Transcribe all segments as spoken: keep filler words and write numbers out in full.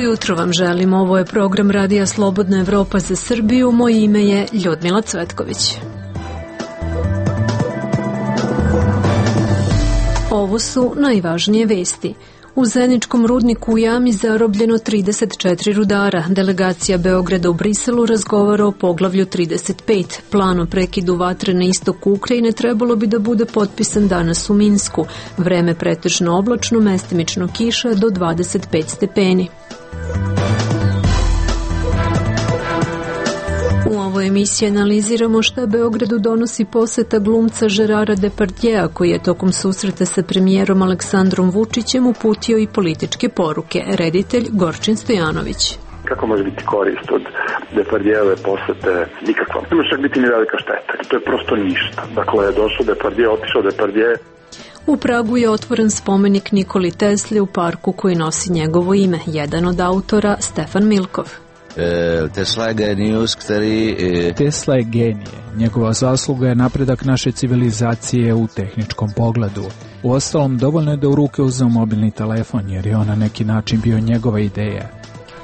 Dobro jutro vam želim, ovo je program Radija Slobodna Evropa za Srbiju, moje ime je Ljudmila Cvetković. Ovo su najvažnije vesti. U Zeničkom rudniku u Jami zarobljeno trideset četiri rudara. Delegacija Beograda u Briselu razgovara o poglavlju trideset pet. Plan o prekidu vatre na istoku Ukrajine trebalo bi da bude potpisan danas u Minsku. Vreme pretežno oblačno, mestimično kiša do dvadeset pet stepeni. U ovoj emisiji analiziramo šta Beogradu donosi poseta glumca Gerara Depardjea, koji je tokom susreta sa premijerom Aleksandrom Vučićem uputio i političke poruke. Reditelj Gorčin Stojanović. Kako može biti korist od Depardjeove posete? Nikakva. Ne može čak biti ni velika šteta. To je prosto ništa. Dakle, je došao Depardje, otišao Depardje. U Pragu je otvoren spomenik Nikoli Tesli u parku koji nosi njegovo ime. Jedan od autora, Stefan Milkov. Tesla je genijus, který... Tesla je genije. Njegova zasluga je napredak naše civilizacije u tehničkom pogledu. Uostalom, dovoljno je da u ruke uzeo mobilni telefon, jer je on na neki način bio njegova ideja.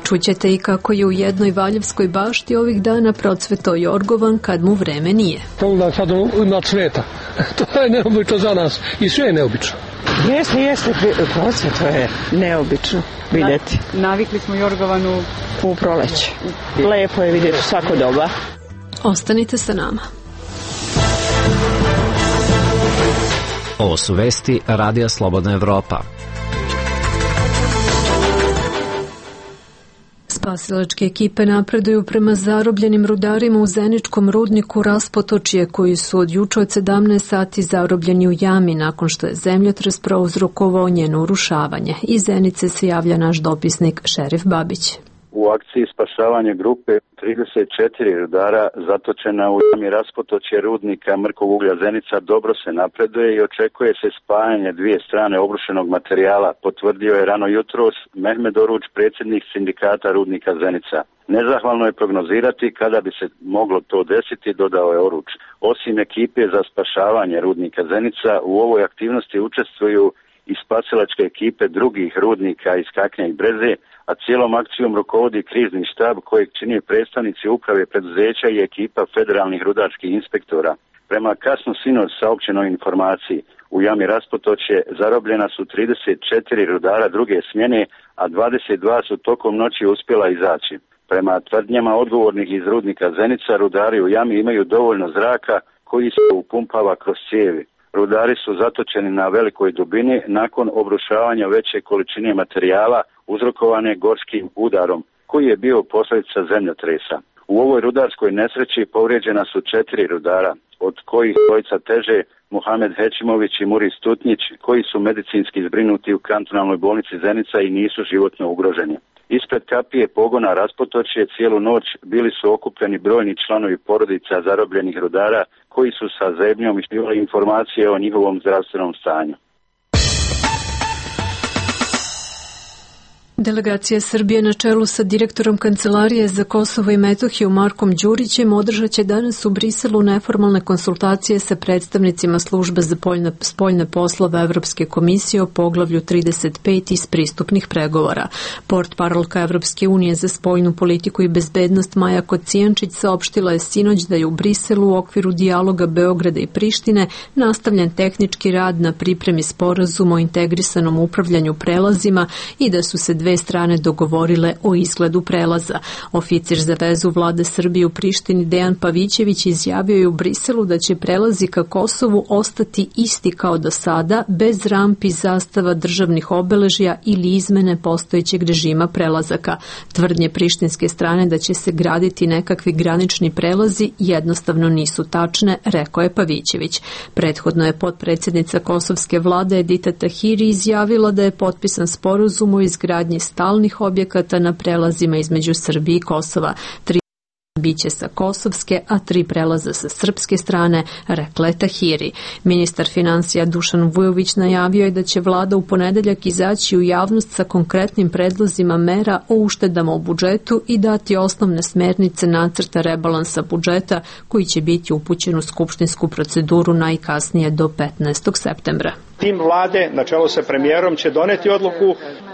Čućete i kako je u jednoj Valjevskoj bašti ovih dana procvetao jorgovan kad mu vreme nije. Pogledaj sad ima cveta. To je neobično za nas i sve je neobično. Jeste, jeste, procveto je neobično vidjeti. Navikli smo jorgovanu u proleće. Lepo je vidjeti svako doba. Ostanite sa nama. Ovo su vesti Radija Slobodna Evropa. Spasilačke ekipe napreduju prema zarobljenim rudarima u Zeničkom rudniku Raspotočje, koji su od juče od sedamnaest sati zarobljeni u jami nakon što je zemljotres prouzrokovao njeno urušavanje. Iz Zenice se javlja naš dopisnik Šerif Babić. U akciji spašavanja grupe trideset četiri rudara zatočena u jami Raspotočje rudnika mrkog uglja Zenica dobro se napreduje i očekuje se spajanje dvije strane obrušenog materijala, potvrdio je rano jutros Mehmed Oruč, predsjednik sindikata rudnika Zenica. Nezahvalno je prognozirati kada bi se moglo to desiti, dodao je Oruč. Osim ekipe za spašavanje rudnika Zenica, u ovoj aktivnosti učestvuju i spasilačke ekipe drugih rudnika iz Kaknja i Breze, a cijelom akcijom rukovodi krizni štab kojeg čini predstavnici uprave preduzeća i ekipa federalnih rudarskih inspektora. Prema kasno sinoć saopćenoj informaciji, u jami Raspotočje zarobljena su trideset četiri rudara druge smjene, a dvadeset dva su tokom noći uspjela izaći. Prema tvrdnjama odgovornih iz rudnika Zenica, rudari u jami imaju dovoljno zraka koji se upumpava kroz cijevi. Rudari su zatočeni na velikoj dubini nakon obrušavanja veće količine materijala uzrokovane gorskim udarom, koji je bio posljedica zemljotresa. U ovoj rudarskoj nesreći povrijeđena su četiri rudara, od kojih dvojica teže, Muhamed Hećimović i Muris Stutnjić, koji su medicinski zbrinuti u kantonalnoj bolnici Zenica i nisu životno ugroženi. Ispred kapije pogona Raspotočje cijelu noć bili su okupljeni brojni članovi porodica zarobljenih rudara koji su sa zebnjom ispitivali informacije o njihovom zdravstvenom stanju. Delegacija Srbije na čelu sa direktorom Kancelarije za Kosovo i Metohiju Markom Đurićem održat će danas u Briselu neformalne konsultacije sa predstavnicima službe za poljne, spoljne poslove Evropske komisije o poglavlju trideset pet iz pristupnih pregovora. Portparolka Evropske unije za spoljnu politiku i bezbednost Maja Kocijančić saopštila je sinoć da je u Briselu u okviru dijaloga Beograda i Prištine nastavljen tehnički rad na pripremi sporazuma o integrisanom upravljanju prelazima i da su se dve strane dogovorile o izgledu prelaza. Oficir za vezu vlade Srbije u Prištini Dejan Pavićević izjavio je u Briselu da će prelazi ka Kosovu ostati isti kao do sada, bez rampi, zastava, državnih obeležja ili izmene postojećeg režima prelazaka. Tvrdnje prištinske strane da će se graditi nekakvi granični prelazi jednostavno nisu tačne, rekao je Pavićević. Prethodno je potpredsjednica kosovske vlade Edita Tahiri izjavila da je potpisan sporazum o izgradnji stalnih objekata na prelazima između Srbije i Kosova. Tri biće sa kosovske, a tri prelaza sa srpske strane, rekla je Tahiri. Ministar finansija Dušan Vujović najavio je da će vlada u ponedeljak izaći u javnost sa konkretnim predlozima mera o uštedama u budžetu i dati osnovne smernice nacrta rebalansa budžeta koji će biti upućen u skupštinsku proceduru najkasnije do petnaestog septembra. Tim vlade, na čelu sa premijerom, će doneti odluku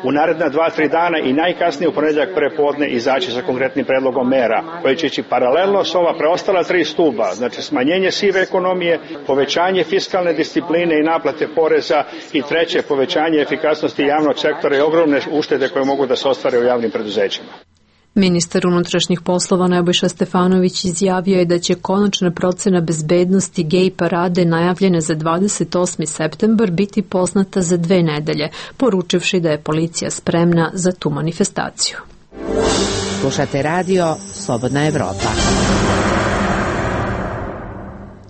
u naredna dva, tri dana i najkasnije u ponedjeljak prepodne izaći sa konkretnim predlogom mera, koje će ići paralelno s ova preostala tri stuba, znači smanjenje sive ekonomije, povećanje fiskalne discipline i naplate poreza i treće, povećanje efikasnosti javnog sektora i ogromne uštede koje mogu da se ostvare u javnim preduzećima. Ministar unutrašnjih poslova Nebojša Stefanović izjavio je da će konačna procena bezbednosti gej parade najavljene za dvadeset osmi septembar biti poznata za dve nedelje, poručivši da je policija spremna za tu manifestaciju. Slušate radio Slobodna Evropa.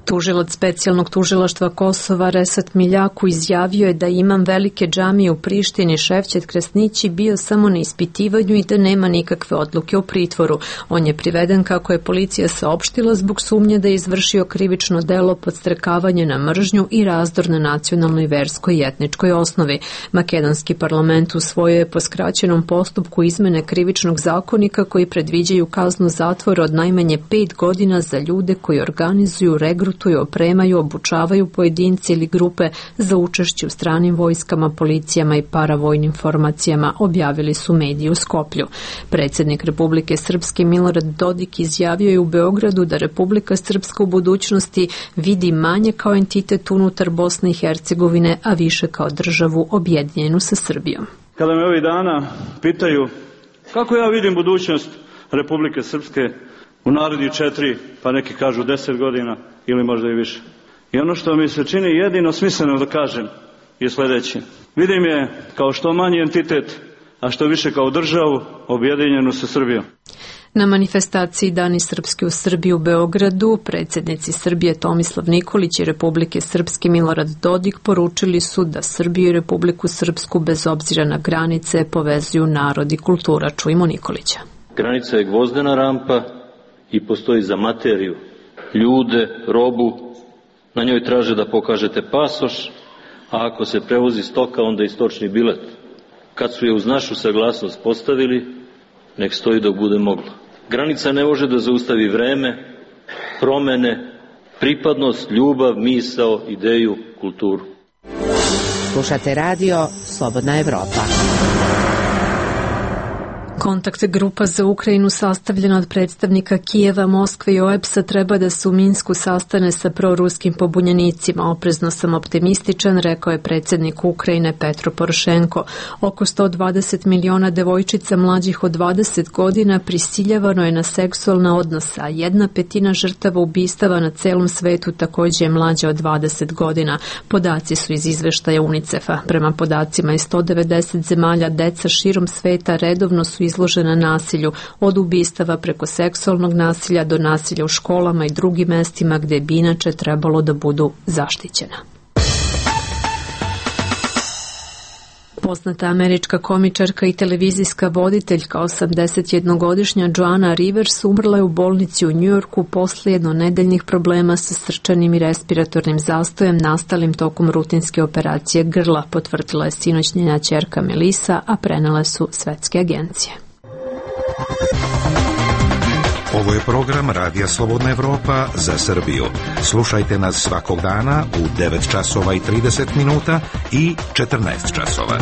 Tužilac specijalnog tužilaštva Kosova Resat Miljaku izjavio je da imam velike džamije u Prištini Ševčet Krasnići bio samo na ispitivanju i da nema nikakve odluke o pritvoru. On je priveden, kako je policija saopštila, zbog sumnje da je izvršio krivično delo podstrekavanje na mržnju i razdor na nacionalnoj, verskoj i etničkoj osnovi. Makedonski parlament usvojio je po skraćenom postupku izmene krivičnog zakonika koji predviđaju kaznu zatvora od najmanje pet godina za ljude koji organizuju, regrutuju, opremaju, obučavaju pojedinci ili grupe za učešće u stranim vojskama, policijama i paravojnim formacijama, objavili su mediji u Skoplju. Predsjednik Republike Srpske Milorad Dodik izjavio je u Beogradu da Republika Srpska u budućnosti vidi manje kao entitet unutar Bosne i Hercegovine, a više kao državu objedinjenu sa Srbijom. Kada me ovih dana pitaju kako ja vidim budućnost Republike Srpske u narednih četiri, pa neki kažu deset godina ili možda i više. I ono što mi se čini jedino smisleno da kažem je sljedeće. Vidim je kao što manji entitet, a što više kao državu objedinjenu sa Srbijom. Na manifestaciji Dani Srpske u Srbiji u Beogradu predsjednici Srbije Tomislav Nikolić i Republike Srpske Milorad Dodik poručili su da Srbiju i Republiku Srpsku bez obzira na granice povezuju narod i kultura. Čujmo Nikolića. Granica je gvozdena rampa i postoji za materiju, ljude, robu. Na njoj traže da pokažete pasoš, a ako se prevozi stoka, onda i stočni bilet. Kad su je uz našu saglasnost postavili, nek stoji dok bude moglo. Granica ne može da zaustavi vreme, promene, pripadnost, ljubav, misao, ideju, kulturu. Slušate radio Slobodna Evropa. Kontakt grupa za Ukrajinu sastavljena od predstavnika Kijeva, Moskve i O E B S-a treba da se u Minsku sastane sa proruskim pobunjenicima. Oprezno sam optimističan, rekao je predsjednik Ukrajine Petro Porošenko. Oko sto dvadeset miliona devojčica mlađih od dvadeset godina prisiljavano je na seksualna odnosa, a jedna petina žrtava ubistava na celom svetu također je mlađa od dvadeset godina. Podaci su iz izveštaja UNICEF-a. Prema podacima iz sto devedeset zemalja deca širom sveta redovno su izložena nasilju, od ubistava preko seksualnog nasilja do nasilja u školama i drugim mestima gdje bi inače trebalo da budu zaštićena. Poznata američka komičarka i televizijska voditeljka osamdesetjednogodišnja Joanna Rivers umrla je u bolnici u Njujorku posle jednonedeljnih problema sa srčanim i respiratornim zastojem nastalim tokom rutinske operacije grla, potvrdila je sinoć njena ćerka Melissa, a prenele su svetske agencije. Ovo je program Radija Slobodna Evropa za Srbiju. Slušajte nas svakog dana u devet časova i trideset minuta i četrnaest časova.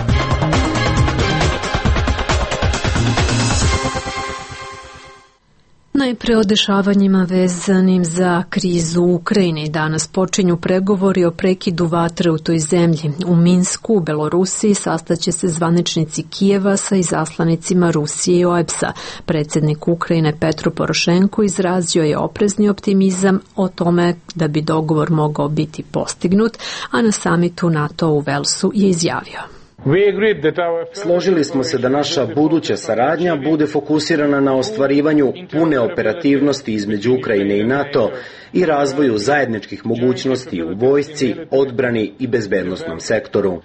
Najpre o dešavanjima vezanim za krizu u Ukrajini. Danas počinju pregovori o prekidu vatre u toj zemlji. U Minsku, u Belorusiji, sastaće se zvaničnici Kijeva sa izaslanicima Rusije i O E B S-a. Predsjednik Ukrajine Petro Porošenko izrazio je oprezni optimizam o tome da bi dogovor mogao biti postignut, a na samitu NATO u Velsu je izjavio: Složili smo se da naša buduća saradnja bude fokusirana na ostvarivanju pune operativnosti između Ukrajine i NATO i razvoju zajedničkih mogućnosti u vojsci, odbrani i bezbednosnom sektoru.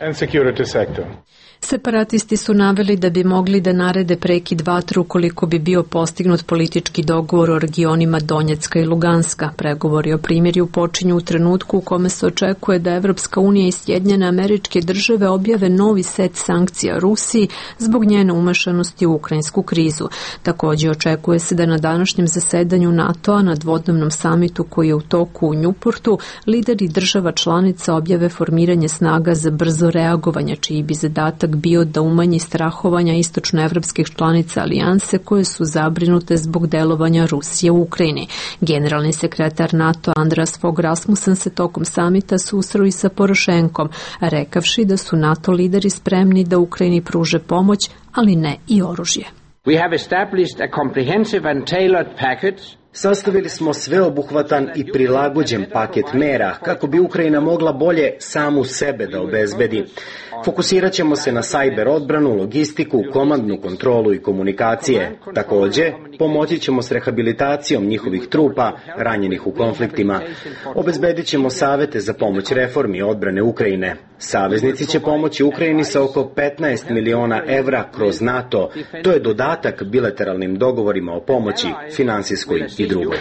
Separatisti su naveli da bi mogli da narede prekid vatre ukoliko bi bio postignut politički dogovor o regionima Donjecka i Luganska. Pregovori o primirju počinju u trenutku u kome se očekuje da Evropska unija i Sjedinjene Američke Države objave novi set sankcija Rusiji zbog njene umešanosti u ukrajinsku krizu. Također očekuje se da na današnjem zasedanju NATO-a na dvodnevnom samitu koji je u toku u Njuportu lideri država članica objave formiranje snaga za brzo reagovanje, čiji bi zadatak bio da umanji strahovanja istočnoevropskih članica alijanse koje su zabrinute zbog delovanja Rusije u Ukrajini. Generalni sekretar NATO Andreas Fogh Rasmussen se tokom samita susreo i sa Porošenkom, rekavši da su NATO lideri spremni da Ukrajini pruže pomoć, ali ne i oružje. We have established a comprehensive and tailored package. Sastavili smo sveobuhvatan i prilagođen paket mera kako bi Ukrajina mogla bolje samu sebe da obezbedi. Fokusirat ćemo se na sajber odbranu, logistiku, komandnu kontrolu i komunikacije. Također, pomoći ćemo s rehabilitacijom njihovih trupa ranjenih u konfliktima. Obezbedit ćemo savete za pomoć reformi odbrane Ukrajine. Saveznici će pomoći Ukrajini sa oko petnaest miliona evra kroz NATO. To je dodatak bilateralnim dogovorima o pomoći, finansijskoj i drugoj.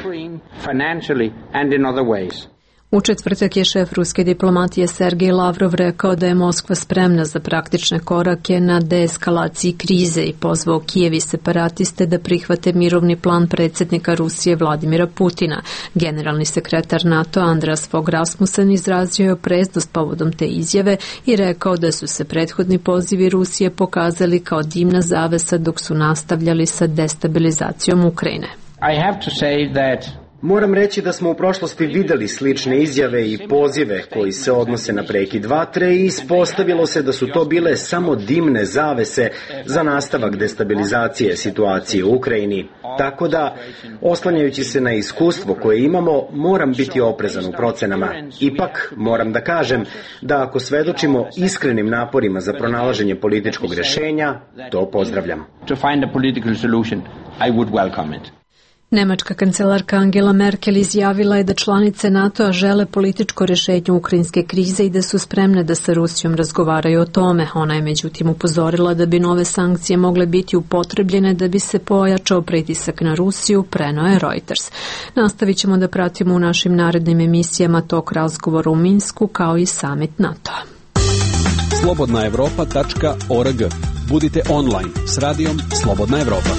U četvrtak je šef ruske diplomatije Sergej Lavrov rekao da je Moskva spremna za praktične korake na deeskalaciji krize i pozvao Kijev i separatiste da prihvate mirovni plan predsjednika Rusije Vladimira Putina. Generalni sekretar NATO Andreas Fogh Rasmussen izrazio je opreznost povodom te izjave i rekao da su se prethodni pozivi Rusije pokazali kao dimna zavesa dok su nastavljali sa destabilizacijom Ukrajine. I have to say that Moram reći da smo u prošlosti videli slične izjave i pozive koji se odnose na prekid vatre i ispostavilo se da su to bile samo dimne zavese za nastavak destabilizacije situacije u Ukrajini. Tako da, oslanjajući se na iskustvo koje imamo, moram biti oprezan u procenama. Ipak, moram da kažem da ako svedočimo iskrenim naporima za pronalaženje političkog rješenja, to pozdravljam. To find a political solution, I would welcome it. Nemačka kancelarka Angela Merkel izjavila je da članice NATO-a žele političko rješenje ukrajinske krize i da su spremne da sa Rusijom razgovaraju o tome. Ona je međutim upozorila da bi nove sankcije mogle biti upotrebljene da bi se pojačao pritisak na Rusiju, preneo je Reuters. Nastavit ćemo da pratimo u našim narednim emisijama tok razgovora u Minsku kao i summit NATO-a. slobodna evropa tačka org. Budite online s radijom Slobodna Evropa.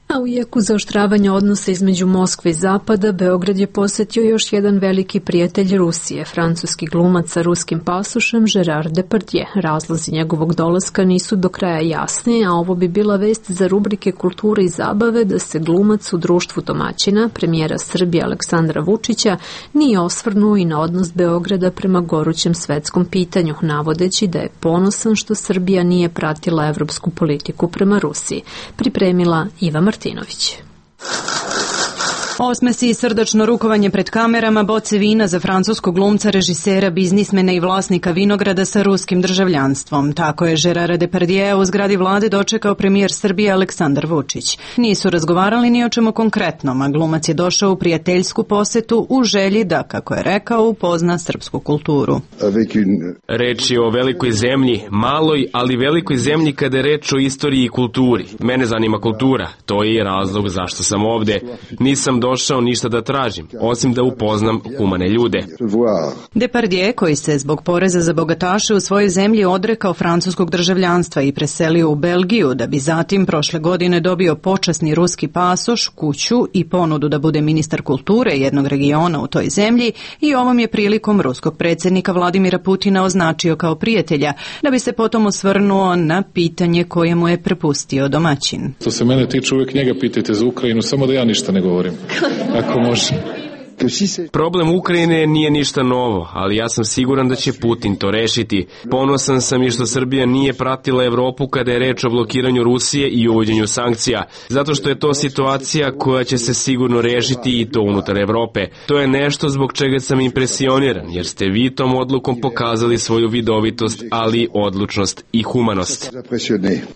A u jeku zaoštravanja odnosa između Moskve i Zapada, Beograd je posjetio još jedan veliki prijatelj Rusije, francuski glumac sa ruskim pasošem Gerard Depardieu. Razlozi njegovog dolaska nisu do kraja jasni, a ovo bi bila vest za rubrike kulture i zabave da se glumac u društvu domaćina, premijera Srbije Aleksandra Vučića, nije osvrnuo i na odnos Beograda prema gorućem svetskom pitanju, navodeći da je ponosan što Srbija nije pratila evropsku politiku prema Rusiji. Pripremila Iva Martinović. Osmesi i srdačno rukovanje pred kamerama, boce vina za francuskog glumca, režisera, biznismena i vlasnika vinograda sa ruskim državljanstvom. Tako je Gerard Depardieu u zgradi vlade dočekao premijer Srbije Aleksandar Vučić. Nisu razgovarali ni o čemu konkretnom, a glumac je došao u prijateljsku posetu u želji da, kako je rekao, upozna srpsku kulturu. Reč je o velikoj zemlji, maloj, ali velikoj zemlji kada je reč o istoriji i kulturi. Mene zanima kultura, to je razlog zašto sam ovde. Nisam došao ništa da tražim, osim da upoznam humane ljude. Depardieu, koji se zbog poreza za bogataše u svojoj zemlji odrekao francuskog državljanstva i preselio u Belgiju, da bi zatim prošle godine dobio počasni ruski pasoš, kuću i ponudu da bude ministar kulture jednog regiona u toj zemlji, i ovom je prilikom ruskog predsjednika Vladimira Putina označio kao prijatelja, da bi se potom osvrnuo na pitanje koje mu je prepustio domaćin. Što se mene tiče, uvijek njega pitajte za Ukrajinu, samo da ja ništa ne govorim. Ako može. Problem Ukrajine nije ništa novo, ali ja sam siguran da će Putin to rešiti. Ponosan sam i što Srbija nije pratila Evropu kada je reč o blokiranju Rusije i uvođenju sankcija, zato što je to situacija koja će se sigurno rešiti i to unutar Evrope. To je nešto zbog čega sam impresioniran, jer ste vi tom odlukom pokazali svoju vidovitost, ali odlučnost i humanost.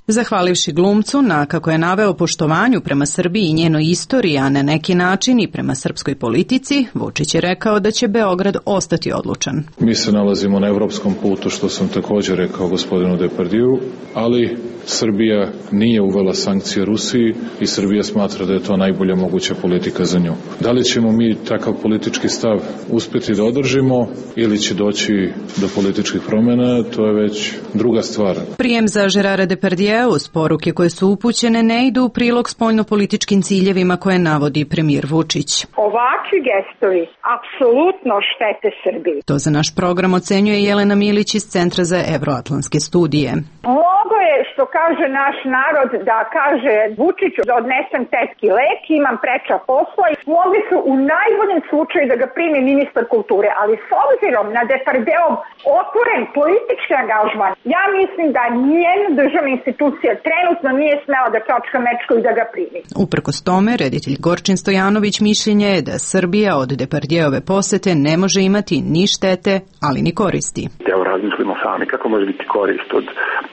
Zahvalivši glumcu na, kako je naveo, poštovanju prema Srbiji i njenoj istoriji, a na neki način i prema srpskoj politici, Americi, Vučić je rekao da će Beograd ostati odlučan. Mi se nalazimo na evropskom putu, što sam također rekao gospodinu Depardiju, ali Srbija nije uvela sankcije Rusiji i Srbija smatra da je to najbolja moguća politika za nju. Da li ćemo mi takav politički stav uspjeti da održimo ili će doći do političkih promjena, to je već druga stvar. Prijem za Gerara Depardija uz poruke koje su upućene ne idu u prilog spoljnopolitičkim ciljevima koje navodi premijer Vučić. Ovakvi gestovi apsolutno štete Srbiji. To za naš program ocenjuje Jelena Milić iz Centra za evroatlantske studije. Mnogo je, što kaže naš narod, da kaže Vučiću da odnesem tetki lek, imam preča posla i mogli su u najboljem slučaju da ga primi ministar kulture, ali s obzirom na Depardijeov otvoren politički angažman, ja mislim da nijedna državna institucija trenutno nije smela da čačka mečku i da ga primi. Uprkos tome, reditelj Gorčin Stojanović mišljenje je da Srbija od Depardijeve posete ne može imati ni štete, ali ni koristi. Evo razmislimo sami kako može biti korist od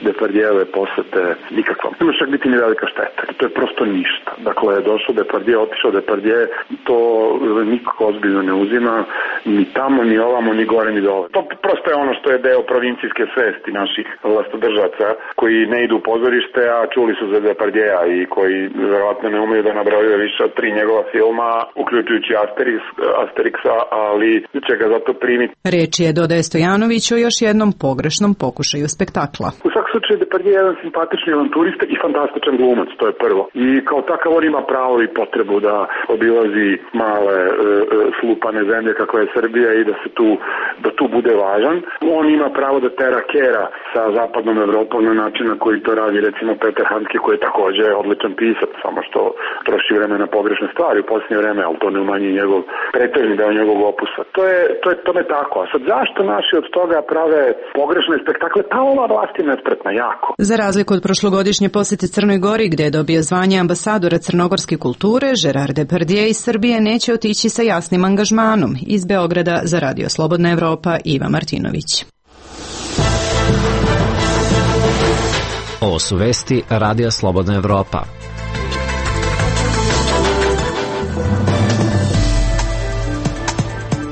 Depardijeve posete nikakva. Ne može čak biti ni velika šteta. To je prosto ništa. Dakle, je došao Depardije, otišao Depardije, to nikako ozbiljno ne uzima, ni tamo, ni ovamo, ni gore, ni dole. To prosto je ono što je deo provincijske svesti naših vlastodržaca koji ne idu u pozorište, a čuli su za Depardijeja i koji verovatno ne umeju da nabrojaju više od tri njegova filma, uključujući Asterix, Asterixa, ali će ga zato primiti. Reč je, dodaje Stojanović, o još jednom pogrešnom pokušaju spektakla. U svakom slučaju Depardije je jedan simpatični avanturista i fantastičan glumac, to je prvo. I kao takav on ima pravo i potrebu da obilazi male e, slupane zemlje kako je Srbija i da se tu, da tu bude važan. On ima pravo da tera kera sa zapadnom Evropom na način na koji to radi recimo Peter Handke, koji je također odličan pisac, samo što troši vreme na pogrešne stvari u posljednje vreme, ali to ne umanji njegov pretežni deo njegovog opusa. To je, to je tome tako. A sad zašto naši od toga prave pogrešne spektakle? Pa ova vlast je nespretna jako. Za razliku od prošlogodišnje posete Crnoj Gori, gde je dobio zvanje ambasadora crnogorske kulture, Gerard Depardieu iz Srbije neće otići sa jasnim angažmanom. Iz Beograda za Radio Slobodna Evropa, Iva Martinović. Ovo su vesti Radija Slobodna Evropa.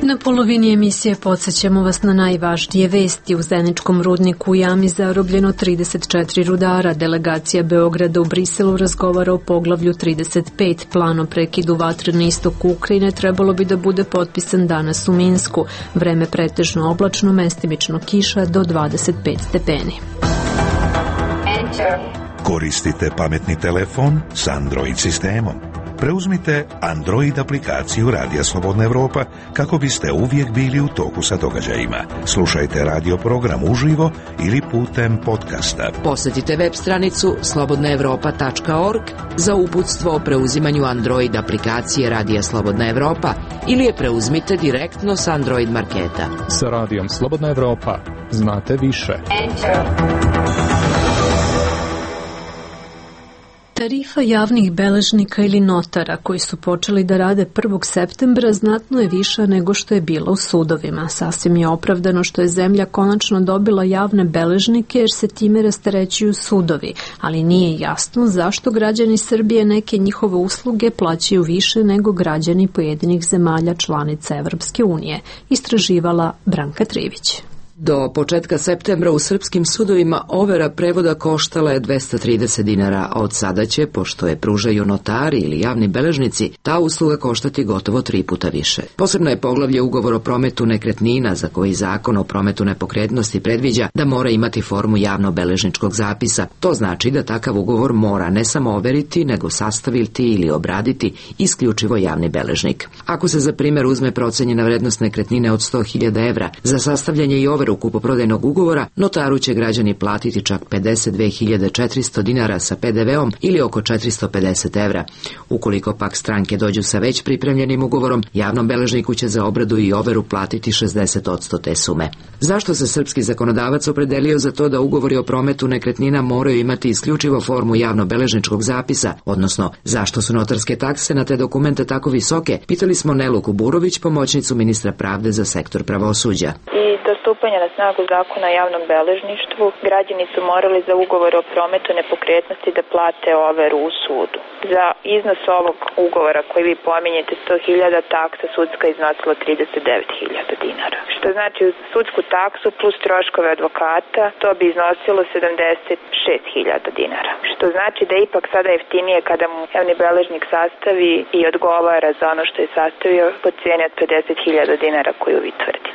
Na polovini emisije podsjećamo vas na najvažnije vesti. U Zeničkom rudniku u jami zarobljeno trideset četiri rudara. Delegacija Beograda u Briselu razgovara o poglavlju trideset pet. Plan o prekidu vatre na istoku Ukrajine trebalo bi da bude potpisan danas u Minsku. Vreme pretežno oblačno, mestimično kiša do dvadeset pet stepeni. Koristite pametni telefon s Android sistemom. Preuzmite Android aplikaciju Radija Slobodna Evropa kako biste uvijek bili u toku sa događajima. Slušajte radio program uživo ili putem podcasta. Posjetite web stranicu slobodna evropa tačka org za uputstvo o preuzimanju Android aplikacije Radija Slobodna Evropa ili je preuzmite direktno s Android marketa. Sa Radijom Slobodna Evropa znate više. Tarifa javnih beležnika ili notara koji su počeli da rade prvog septembra znatno je viša nego što je bila u sudovima. Sasvim je opravdano što je zemlja konačno dobila javne beležnike jer se time rasterećuju sudovi, ali nije jasno zašto građani Srbije neke njihove usluge plaćaju više nego građani pojedinih zemalja članica Evropske unije, istraživala Branka Trivić. Do početka septembra u srpskim sudovima overa prevoda koštala je dvesta trideset dinara, a od sada će, pošto je pružaju notari ili javni beležnici, ta usluga koštati gotovo tri puta više. Posebno je poglavlje ugovor o prometu nekretnina, za koji zakon o prometu nepokretnosti predviđa da mora imati formu javno-beležničkog zapisa. To znači da takav ugovor mora ne samo overiti, nego sastaviti ili obraditi isključivo javni beležnik. Ako se za primjer uzme procenjena vrednost nekretnine od sto hiljada evra, za sastavljanje i overu u kupoprodajnog ugovora, notaru će građani platiti čak pedeset dve hiljade četiristo dinara sa pe de veom ili oko četiristo pedeset evra. Ukoliko pak stranke dođu sa već pripremljenim ugovorom, javnom beležniku će za obradu i overu platiti šezdeset posto te sume. Zašto se srpski zakonodavac opredelio za to da ugovori o prometu nekretnina moraju imati isključivo formu javno-beležničkog zapisa, odnosno zašto su notarske takse na te dokumente tako visoke, pitali smo Nelu Kuburović, pomoćnicu ministra pravde za sektor pravosuđa. I do stupanja na snagu zakona o javnom beležništvu građani su morali za ugovor o prometu nepokretnosti da plate overu u sudu. Za iznos ovog ugovora koji vi pominjete sto hiljada, taksa sudska iznosila trideset devet hiljada dinara. Što znači uz sudsku taksu plus troškove advokata to bi iznosilo sedamdeset šest hiljada dinara. Što znači da je ipak sada jeftinije kada mu javni beležnik sastavi i odgovara za ono što je sastavio po cijeni od pedeset hiljada dinara koju vi tvrdite.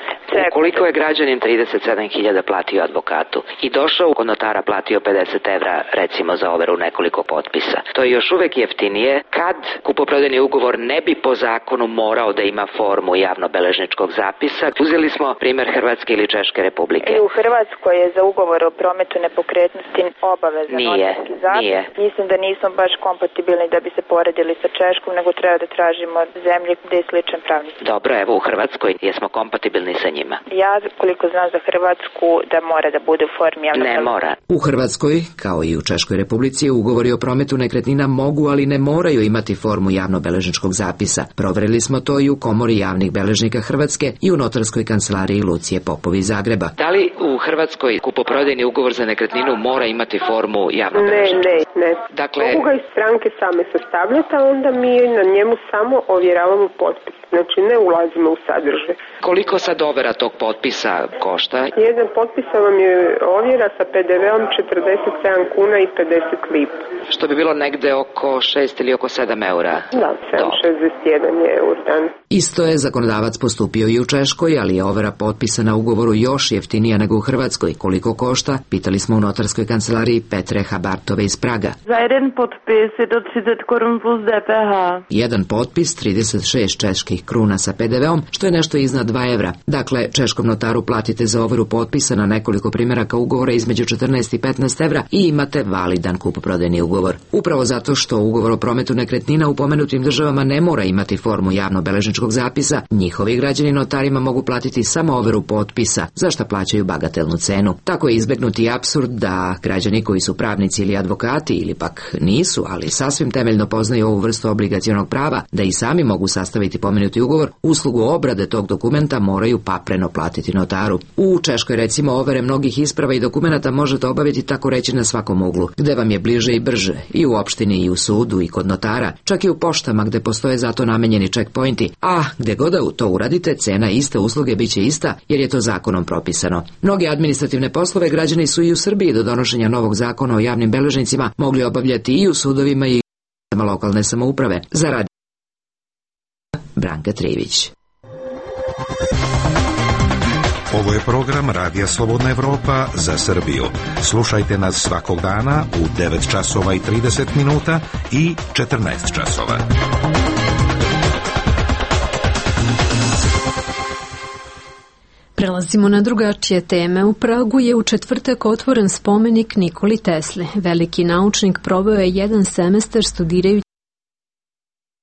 Ukoliko je građanin trideset sedam hiljada platio advokatu i došao kod notara platio pedeset evra recimo za overu nekoliko potpisa, to je još uvek jeftinije kad kupoprodajni ugovor ne bi po zakonu morao da ima formu javnobeležničkog zapisa. Uzeli smo primjer Hrvatske ili Češke republike. I u Hrvatskoj je za ugovor o prometu nepokretnosti obavezan notarski zapis. Nije. Mislim da nismo baš kompatibilni da bi se poredili sa Češkom, nego treba da tražimo zemlje gde je sličan pravni. Dobro, evo u Hrvatskoj jesmo kompatibilni sa njima. Ja, koliko znam za Hrvatsku, da mora da bude u formi javnog. Ne mora. U Hrvatskoj, kao i u Češkoj republici, ugovori o prometu nekretnina mogu, ali ne moraju imati formu javnobeležničkog zapisa. Proverili smo to i u Komori javnih beležnika Hrvatske i u notarskoj kancelariji Lucije Popovi iz Zagreba. Da li u Hrvatskoj kupoprodajni ugovor za nekretninu mora imati formu javnobeležničkog? Ne, ne, ne. Dakle, mogu ga i stranke same sastavljati, a onda mi na njemu samo ovjeravamo potpis. Znači ne ulazimo u sadržaj. Koliko sad overa tog potpisa košta? Jedan potpis vam je ovjera sa pe de veom četrdeset sedam kuna i pedeset lipa. Što bi bilo negde oko šest ili oko sedam eura? Da, sedam šezdeset jedan je eur dan. Isto je zakonodavac postupio i u Češkoj, ali je overa potpisa na ugovoru još jeftinija nego u Hrvatskoj. Koliko košta? Pitali smo u notarskoj kancelariji Petre Habartove iz Praga. Za jedan potpis je to trideset korun plus de pe ha. Jedan potpis trideset šest čeških kruna sa pe de veom, što je nešto iznad dva evra. Dakle, češkom notaru platite za overu potpisa na nekoliko primjeraka ugovora između četrnaest i petnaest evra i imate validan kupoprodajni ugovor. Upravo zato što ugovor o prometu nekretnina u pomenutim državama ne mora imati formu javnobeležničkog zapisa, njihovi građani notarima mogu platiti samo overu potpisa, za što plaćaju bagatelnu cenu. Tako je izbegnuti apsurd da građani koji su pravnici ili advokati ili pak nisu, ali sasvim temeljno poznaju ovu vrstu obligacionog prava, da i sami mogu sastaviti pomenuti ugovor, uslugu obrade tog dokumenta moraju papreno platiti notaru. U Češkoj recimo overe mnogih isprava i dokumenata možete obaviti tako reći na svakom uglu, gde vam je bliže i brže, i u opštini i u sudu i kod notara, čak i u poštama gde postoje zato namenjeni checkpointi, a gde god da to uradite, cena iste usluge biće ista jer je to zakonom propisano. Mnoge administrativne poslove građani su i u Srbiji do donošenja novog zakona o javnim beležnicima mogli obavljati i u sudovima i u lokalne samouprave. Za radio Branka Trivić. Ovo je program Radija Slobodna Evropa za Srbiju. Slušajte nas svakog dana u devet časova i trideset minuta i četrnaest časova. Prelazimo na drugačije teme. U Pragu je u četvrtak otvoren spomenik Nikoli Tesli. Veliki naučnik proveo je jedan semestar studirajući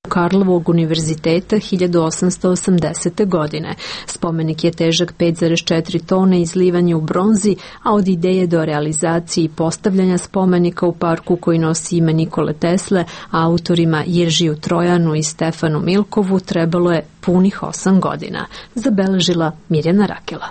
Karlovog univerziteta hiljadu osamsto osamdesete. godine. Spomenik je težak pet zarez četiri tone, izlivan je u bronzi, a od ideje do realizacije i postavljanja spomenika u parku koji nosi ime Nikole Tesle, autorima Jeržiju Trojanu i Stefanu Milkovu trebalo je punih osam godina, zabeležila Mirjana Rakela.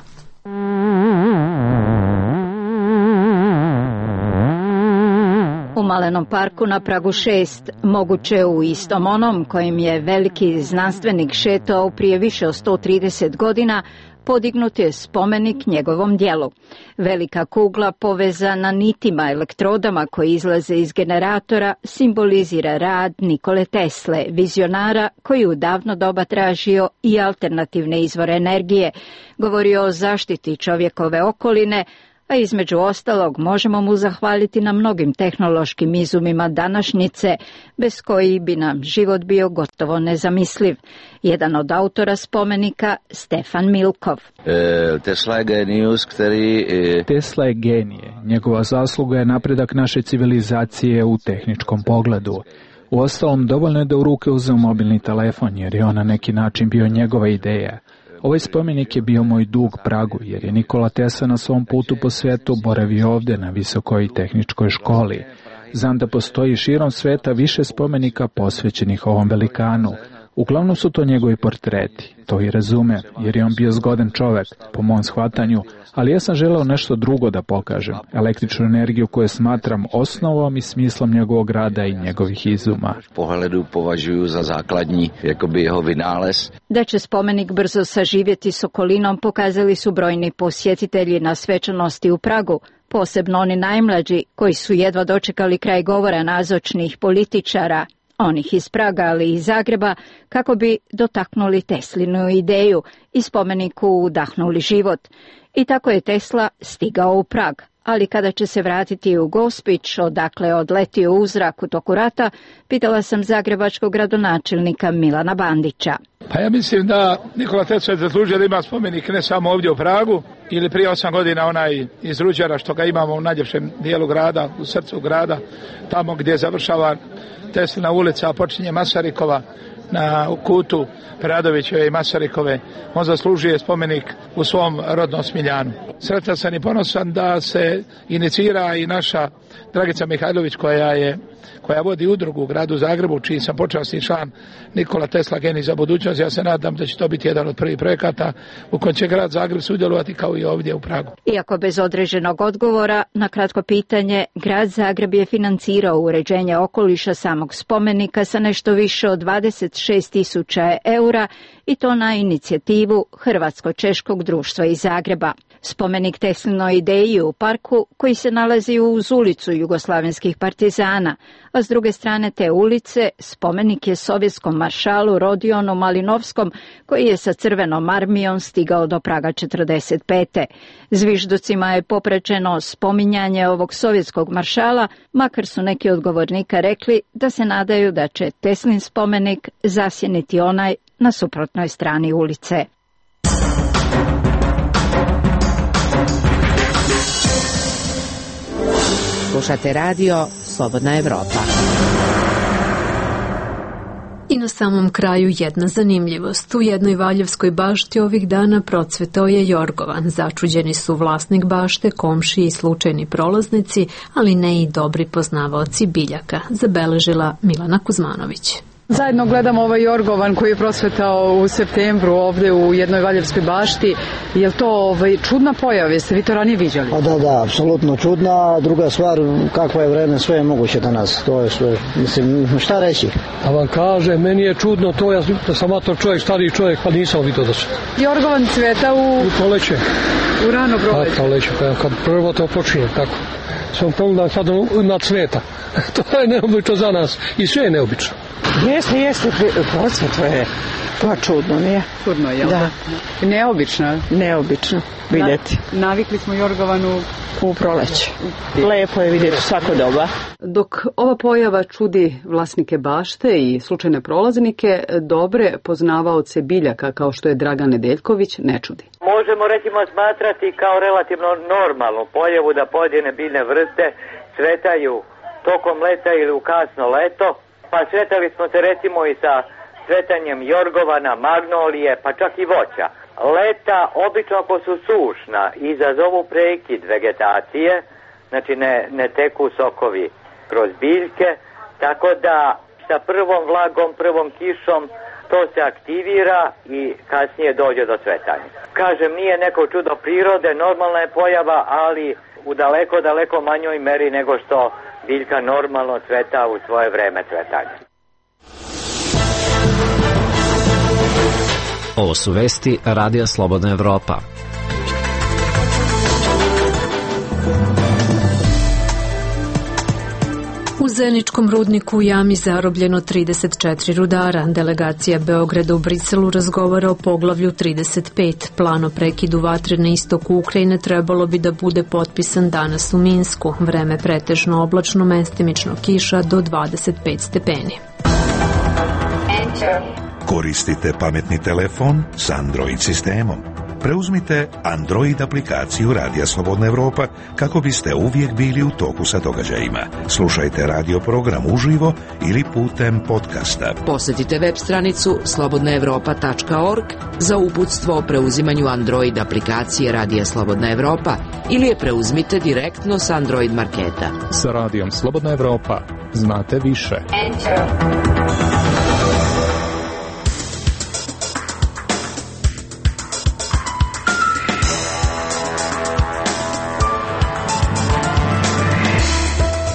U Malenom parku na Pragu šest, moguće u istom onom kojim je veliki znanstvenik šetao prije više od sto trideset godina, podignut je spomenik njegovom dijelu. Velika kugla povezana nitima elektrodama koji izlaze iz generatora simbolizira rad Nikole Tesle, vizionara koji u davno doba tražio i alternativne izvore energije, govorio o zaštiti čovjekove okoline, a između ostalog možemo mu zahvaliti na mnogim tehnološkim izumima današnjice, bez kojih bi nam život bio gotovo nezamisliv. Jedan od autora spomenika, Stefan Milkov. Tesla je genijus, který... Tesla je genije. Njegova zasluga je napredak naše civilizacije u tehničkom pogledu. Uostalom, dovoljno je da u ruke uzeo mobilni telefon, jer je on na neki način bio njegova ideja. Ovaj spomenik je bio moj dug Pragu, jer je Nikola Tesla na svom putu po svetu boravio ovde na visokoj tehničkoj školi. Znam da postoji širom sveta više spomenika posvećenih ovom velikanu. Uglavnom su to njegovi portreti, to i razume, jer je on bio zgodan čovek, po mom shvatanju, ali ja sam želeo nešto drugo da pokažem, električnu energiju koju smatram osnovom i smislom njegovog rada i njegovih izuma. Pohledu považuju za základní, jakoby jeho vynález. Da će spomenik brzo saživjeti s okolinom pokazali su brojni posjetitelji na svečanosti u Pragu, posebno oni najmlađi koji su jedva dočekali kraj govora nazočnih političara, onih iz Praga, ali i iz Zagreba, kako bi dotaknuli Teslinu ideju i spomeniku udahnuli život. I tako je Tesla stigao u Prag, ali kada će se vratiti u Gospić, odakle odletio u zrak u toku rata, pitala sam zagrebačkog gradonačelnika Milana Bandića. Pa ja mislim da Nikola Tesla je zaslužio da ima spomenik ne samo ovdje u Pragu, ili prije osam godina onaj iz Ruđera što ga imamo u najljepšem dijelu grada, u srcu grada, tamo gdje završava Teslina ulica, a počinje Masarikova na kutu Preradovićeve i Masarikove. On zaslužuje spomenik u svom rodnom Smiljanu. Sretan sam i ponosan da se inicira i naša Dragica Mihajlović koja je koja vodi udrugu u gradu Zagrebu, čiji sam počasni član, Nikola Tesla genij za budućnost. Ja se nadam da će to biti jedan od prvih projekata u kojem će grad Zagreb sudjelovati kao i ovdje u Pragu. Iako bez određenog odgovora na kratko pitanje, grad Zagreb je financirao uređenje okoliša samog spomenika sa nešto više od dvadeset šest tisuća eura i to na inicijativu Hrvatsko-češkog društva iz Zagreba. Spomenik Teslinoj ideji u parku koji se nalazi uz ulicu jugoslavenskih partizana, a s druge strane te ulice spomenik je sovjetskom maršalu Rodionu Malinovskom koji je sa crvenom armijom stigao do Praga četrdeset pete. Zvižducima je popraćeno spominjanje ovog sovjetskog maršala, makar su neki od govornika rekli da se nadaju da će Teslin spomenik zasjeniti onaj na suprotnoj strani ulice. Slušate radio Slobodna Evropa. I na samom kraju jedna zanimljivost. U jednoj Valjevskoj bašti ovih dana procvetao je jorgovan. Začuđeni su vlasnik bašte, komšiji i slučajni prolaznici, ali ne i dobri poznavaoci biljaka, zabeležila Milana Kuzmanović. Zajedno gledamo ovaj jorgovan koji je prosvetao u septembru ovdje u jednoj Valjevskoj bašti. Je li to ovaj, čudna pojava? Jeste vi to ranije viđali? A da, da, apsolutno čudna. Druga stvar, kakva je vreme, sve je moguće danas. To je sve, mislim, šta reći? A vam kaže, meni je čudno to, ja sam mator čovjek, stariji čovjek, pa nisam vidio da se... Jorgovan cveta u... U proleće. U rano proleće. A, proleće, kad prvo to počinje, tako. Sam pogledam sad na cveta. To je neobično za nas i sve je neobično. Jeste, jeste, procvet je. Pa čudno nije. Čudno je, jel da? Neobično. Neobično vidjeti. Na, navikli smo jorgovanu u proleće. Lepo je vidjeti svako doba. Dok ova pojava čudi vlasnike bašte i slučajne prolaznike, dobre poznavaoce biljaka kao što je Dragan Nedeljković ne čudi. Možemo recimo smatrati kao relativno normalnu pojavu da pojedine biljne vrste cvetaju tokom leta ili u kasno leto. Pa sretali smo se recimo i sa cvetanjem jorgovana, magnolije, pa čak i voća. Leta, obično ako su sušna, izazovu prekid vegetacije, znači ne, ne teku sokovi kroz biljke, tako da sa prvom vlagom, prvom kišom to se aktivira i kasnije dođe do cvetanja. Kažem, nije neko čudo prirode, normalna je pojava, ali u daleko, daleko manjoj meri nego što biljka normalno cveta u svoje vreme cvetanja. Ovo su vesti Radija Slobodna Evropa. U Zeničkom rudniku u jami zarobljeno trideset četiri rudara. Delegacija Beograda u Briselu razgovara o poglavlju trideset pet. Plan o prekidu vatre na istoku Ukrajine trebalo bi da bude potpisan danas u Minsku. Vreme pretežno oblačno, mestimično kiša do dvadeset pet stepeni. Koristite pametni telefon s Android sistemom. Preuzmite Android aplikaciju Radija Slobodna Evropa kako biste uvijek bili u toku sa događajima. Slušajte radio program uživo ili putem podcasta. Posjetite web stranicu slobodna evropa tačka org za uputstvo o preuzimanju Android aplikacije Radija Slobodna Evropa ili je preuzmite direktno s Android marketa. Sa Radijom Slobodna Evropa znate više. Enter.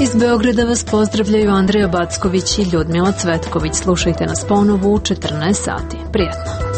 Iz Beograda vas pozdravljaju Andreja Backović i Ljudmila Cvetković. Slušajte nas ponovo u četrnaest sati. Prijetno.